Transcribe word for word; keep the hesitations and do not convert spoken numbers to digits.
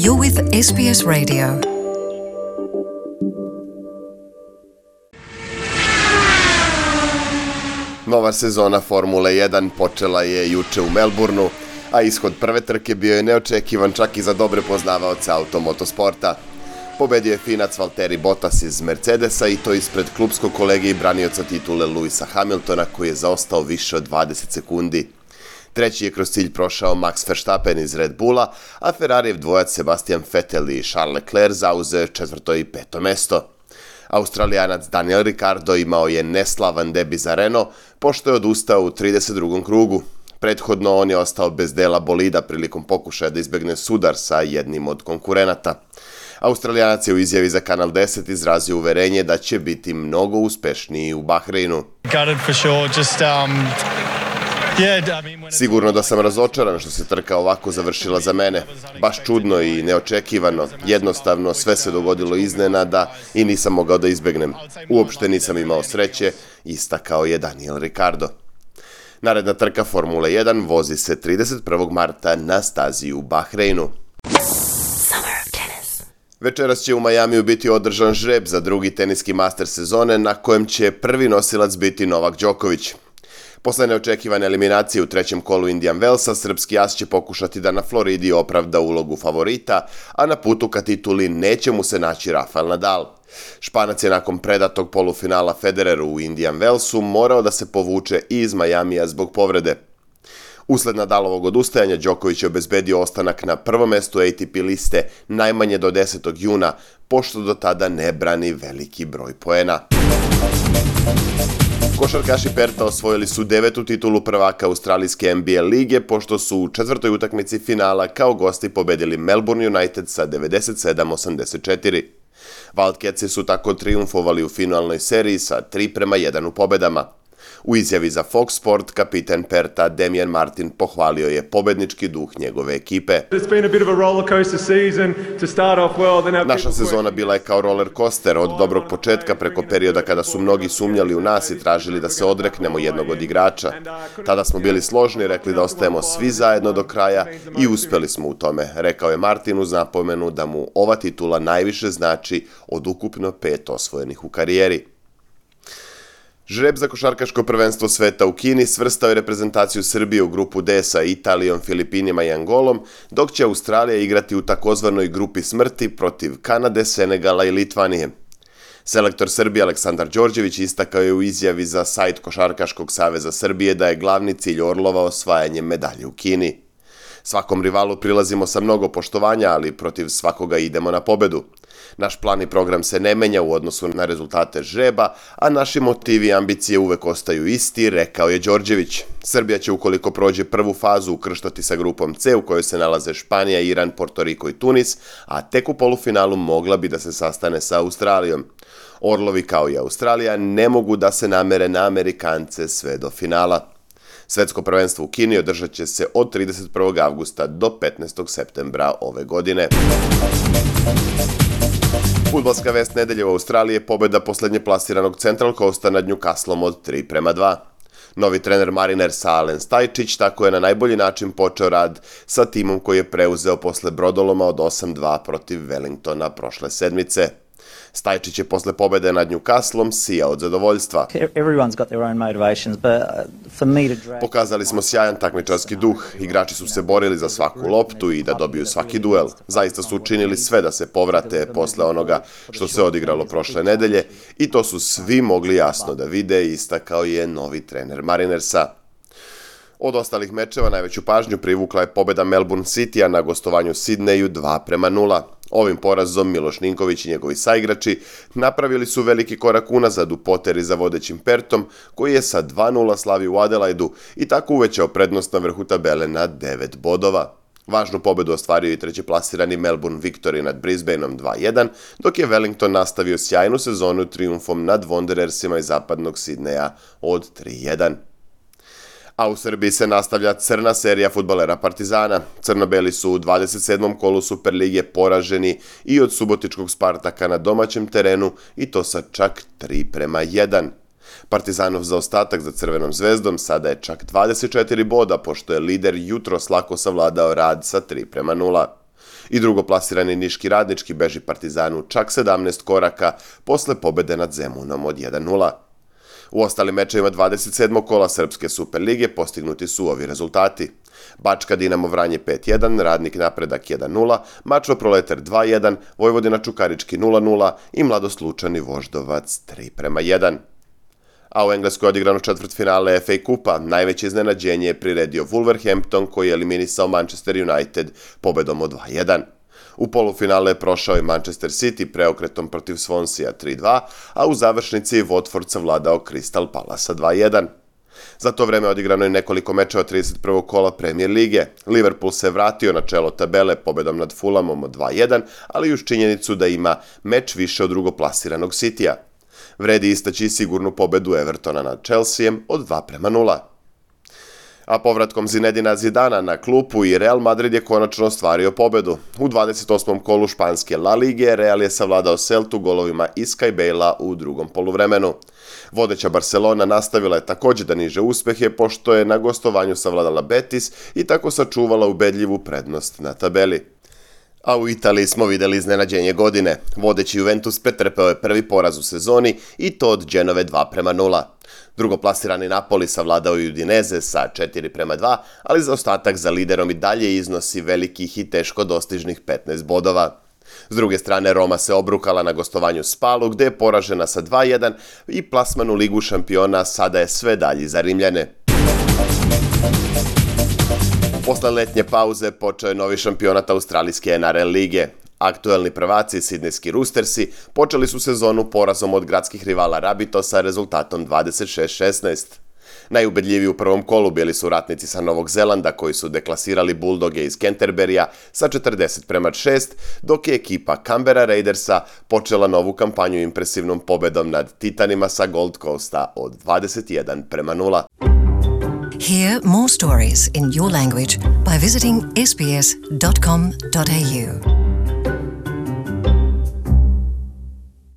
You're with S B S Radio. Nova sezona Formule jedan počela je juče u Melbourneu, a ishod prve trke bio je neočekivan čak i za dobre poznavaoce automotosporta. Pobedio je Finac Valtteri Bottas iz Mercedesa i to ispred klupskog kolege i branioca titule Lewisa Hamiltona koji je zaostao više od dvadeset sekundi. Treći je kroz cilj prošao Max Verstappen iz Red Bulla, a Ferrarijev dvojac Sebastian Vettel i Charles Leclerc zauzeo četvrto i peto mesto. Australijanac Daniel Ricciardo imao je neslavan debi za Renault, pošto je odustao u trideset drugom krugu. Prethodno on je ostao bez dela bolida prilikom pokušaja da izbegne sudar sa jednim od konkurenata. Australijanac je u izjavi za Kanal deset izrazio uverenje da će biti mnogo uspešniji u Bahreinu. Sigurno da sam razočaran što se trka ovako završila za mene. Baš čudno i neočekivano. Jednostavno sve se dogodilo iznenada i nisam mogao da izbegnem. Uopšte nisam imao sreće, istakao je Daniel Ricciardo. Naredna trka Formule jedan vozi se trideset prvog marta na stazi u Bahreinu. Večeras će u Majamiju biti održan žreb za drugi teniski master sezone na kojem će prvi nosilac biti Novak Đoković. Posle neočekivane eliminacije u trećem kolu Indian Wellsa, srpski as će pokušati da na Floridi opravda ulogu favorita, a na putu ka tituli neće mu se naći Rafael Nadal. Španac je nakon predatog polufinala Federeru u Indian Wellsu morao da se povuče i iz Majamija zbog povrede. Usled Nadalovog odustajanja, Đoković je obezbedio ostanak na prvom mestu A T P liste najmanje do desetog juna, pošto do tada ne brani veliki broj poena. Košarkaši Perta osvojili su devetu titulu prvaka australijske N B A lige, pošto su u četvrtoj utakmici finala kao gosti pobedili Melbourne United sa devedeset sedam osamdeset četiri. Wildcatsi su tako trijumfovali u finalnoj seriji sa tri prema jedan u pobedama. U izjavi za Fox Sport kapiten Perta Damian Martin pohvalio je pobednički duh njegove ekipe. Naša sezona bila je kao roller coaster od dobrog početka preko perioda kada su mnogi sumnjali u nas i tražili da se odreknemo jednog od igrača. Tada smo bili složni, rekli da ostajemo svi zajedno do kraja i uspeli smo u tome, rekao je Martin uz napomenu da mu ova titula najviše znači od ukupno pet osvojenih u karijeri. Žreb za košarkaško prvenstvo sveta u Kini svrstao je reprezentaciju Srbije u grupu D sa Italijom, Filipinima i Angolom, dok će Australija igrati u takozvanoj grupi smrti protiv Kanade, Senegala i Litvanije. Selektor Srbije Aleksandar Đorđević istakao je u izjavi za sajt Košarkaškog saveza Srbije da je glavni cilj Orlova osvajanje medalje u Kini. Svakom rivalu prilazimo sa mnogo poštovanja, ali protiv svakoga idemo na pobedu. Naš plan i program se ne menja u odnosu na rezultate žreba, a naši motivi i ambicije uvek ostaju isti, rekao je Đorđević. Srbija će ukoliko prođe prvu fazu ukrštati sa grupom C u kojoj se nalaze Španija, Iran, Portoriko i Tunis, a tek u polufinalu mogla bi da se sastane sa Australijom. Orlovi kao i Australija ne mogu da se namere na Amerikance sve do finala. Svetsko prvenstvo u Kini održat će se od trideset prvog avgusta do petnaestog septembra ove godine. Fudbalska vest nedelje u Australiji je pobeda poslednje plasiranog Central Coasta nad Newcastlom od tri prema dva. Novi trener Marinersa Alen Stajčić tako je na najbolji način počeo rad sa timom koji je preuzeo posle brodoloma od osam dva protiv Wellingtona prošle sedmice. Stajčić je posle pobede nad Newcastlom sijao od zadovoljstva. Pokazali smo sjajan takmičarski duh, igrači su se borili za svaku loptu i da dobiju svaki duel. Zaista su učinili sve da se povrate posle onoga što se odigralo prošle nedelje i to su svi mogli jasno da vide, istakao je novi trener Marinersa. Od ostalih mečeva najveću pažnju privukla je pobeda Melbourne Citya na gostovanju Sidneju dva prema nula. Ovim porazom Miloš Ninković i njegovi saigrači napravili su veliki korak unazad u poteri za vodećim Pertom, koji je sa dva nula slavio u Adelaidu i tako uvećao prednost na vrhu tabele na devet bodova. Važnu pobedu ostvario i trećeplasirani Melbourne Victory nad Brisbaneom dva jedan, dok je Wellington nastavio sjajnu sezonu trijumfom nad Wanderersima iz zapadnog Sidneja od tri jedan. A u Srbiji se nastavlja crna serija fudbalera Partizana. Crnobeli su u dvadeset sedmom kolu Superlige poraženi i od subotičkog Spartaka na domaćem terenu i to sa čak tri prema jedan. Partizanov zaostatak za Crvenom zvezdom sada je čak dvadeset četiri boda, pošto je lider jutros lako savladao Rad sa tri prema nula. I drugoplasirani Niški Radnički beži Partizanu čak sedamnaest koraka posle pobede nad Zemunom od jedan nula. U ostalim mečevima dvadeset sedmog kola Srpske Superlige postignuti su ovi rezultati. Bačka Dinamo Vranje pet jedan, Radnik Napredak jedan nula, Mačva Proletar dva jedan, Vojvodina Čukarički nula nula i Mladost Lučani Voždovac tri prema jedan. A u Engleskoj odigrano četvrtfinale F A kupa, najveće iznenađenje je priredio Wolverhampton koji je eliminisao Manchester United pobedom od dva jedan. U polufinale je prošao i Manchester City preokretom protiv Swansea tri dva, a u završnici je Watford savladao Crystal Palace dva jedan. Za to vreme odigrano je nekoliko mečeva trideset prvog kola Premier lige. Liverpool se vratio na čelo tabele pobedom nad Fulhamom od dva jedan, ali uz činjenicu da ima meč više od drugoplasiranog Citya. Vredi istaći i sigurnu pobedu Evertona nad Chelseaem od dva prema nula. A povratkom Zinedina Zidana na klupu i Real Madrid je konačno ostvario pobedu. U dvadeset osmom kolu španske La Lige Real je savladao Celtu golovima Iska i Bejla u drugom poluvremenu. Vodeća Barcelona nastavila je također da niže uspehe pošto je na gostovanju savladala Betis i tako sačuvala ubedljivu prednost na tabeli. A u Italiji smo videli iznenađenje godine. Vodeći Juventus pretrpeo je prvi poraz u sezoni i to od Genove dva prema nula. Drugoplasirani Napoli savladao je Udinese sa četiri prema dva, ali zaostatak za liderom i dalje iznosi velikih i teško dostižnih petnaest bodova. S druge strane, Roma se obrukala na gostovanju Spalu, gde je poražena sa dva jedan i plasman u Ligu šampiona sada je sve dalji za Rimljane. Posle letnje pauze počeo je novi šampionat australijske N R L lige. Aktuelni prvaci Sidnejski Roostersi počeli su sezonu porazom od gradskih rivala Rabitosa rezultatom dvadeset šest šesnaest. Najubedljiviji u prvom kolu bili su ratnici sa Novog Zelanda koji su deklasirali Bulldoge iz Canterburya sa četrdeset prema šest, dok je ekipa Canberra Raidersa počela novu kampanju impresivnom pobedom nad Titanima sa Gold Coasta od dvadeset jedan prema nula. Hear more stories in your language by visiting s b s dot com dot a u.